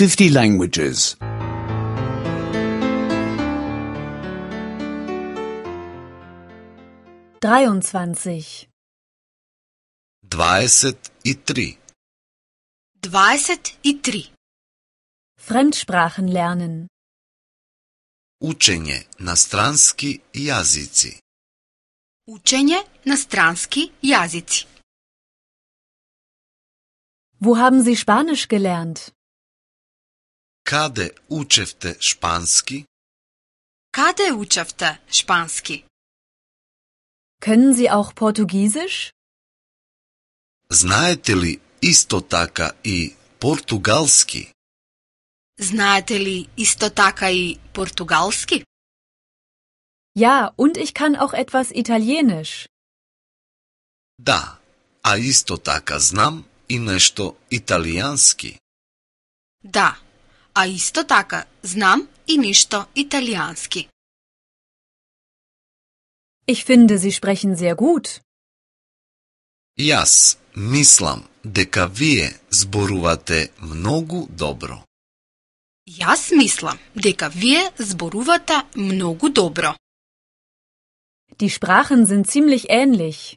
50 languages. 23. 23. 23. Fremdsprachen lernen. Učenje na stranski jazici. Učenje na stranski jazici. Wo haben Sie Spanisch gelernt? Kade učevte španski? Kade učevte španski? Können Sie auch Portugiesisch? Znajete li isto taka i portugalski? Znate li isto taka i portugalski? Ja, und ich kann auch etwas Italienisch. Da, a isto taka znam i nešto italijanski. Da, a isto taka znam i nešto italijanski. Ich finde, Sie sprechen sehr gut. Jaz mislim, deka vije zboruvate mnogo dobro. Jaz mislim, deka vije zboruvate mnogo dobro. Die Sprachen sind ziemlich ähnlich.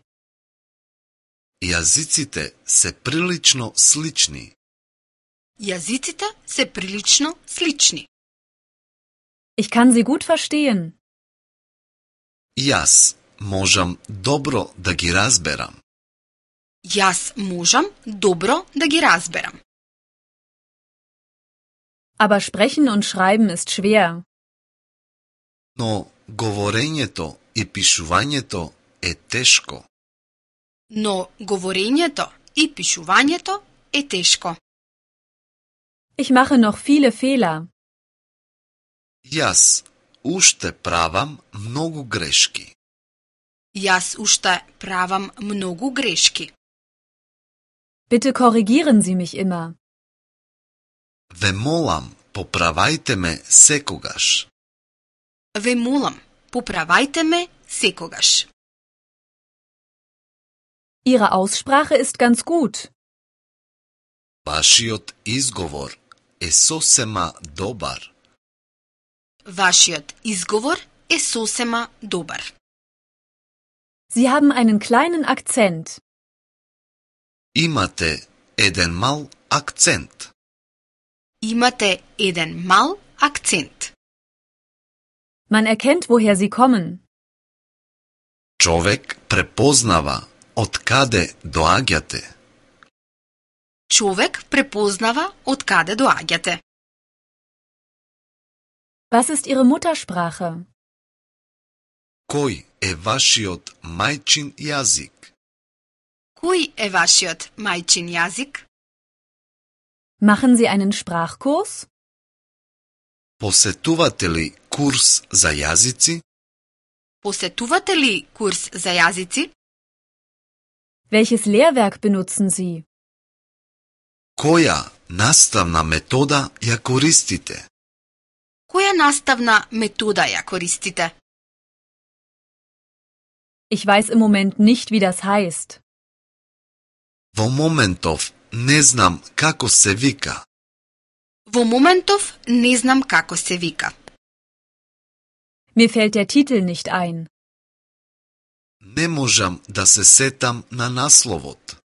Jazicite se prilično slični. Jazicite se prilično slični. Ich kann Sie gut verstehen. Jaz možem dobro da gi razberam. Jaz možem dobro da gi razberam. Aber sprechen und schreiben ist schwer. No, govorenjeto i pišuvanjeto je teško. No, govorenjeto i pišuvanjeto je teško. Ich mache noch viele Fehler. Jaz ušte pravam mnogo greški. Jaz ušte pravam mnogo greški. Bitte korrigieren Sie mich immer. Ve molam, popravajte me sekogaš. Ve molam, popravajte me sekogaš. Ihre Aussprache ist ganz gut. Vašiot izgovor je sosema dobar. Vašiot izgovor je sosema dobar. Sie haben einen kleinen Akzent. Imate eden mal akcent. Imate eden mal akcent. Man erkennt, woher Sie kommen. Čovek prepoznava od kade doagjate. Човек prepoznava od kade doagjate. Was ist Ihre Muttersprache? Koj je vašiot majčin jazik? Koji je vašiot majčin jazik? Machen Sie einen Sprachkurs? Posetuvate li kurs za jazici? Posetuvate li kurs za jazici? Welches Lehrwerk benutzen Sie? Koja nastavna metoda ja koristite? Koja nastavna metoda ja koristite? Ich weiß im Moment nicht, wie das heißt. Vo momentov ne znam kako se vika. Vo momentov ne znam kako se vika. Mir fällt der Titel nicht ein. Ne možem da se setam na naslovot.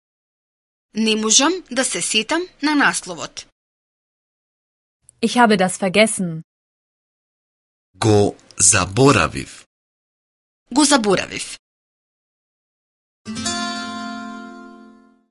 Ne možem da se setam na naslovot. Ich habe das vergessen. Go zaboraviv. Go zaboraviv.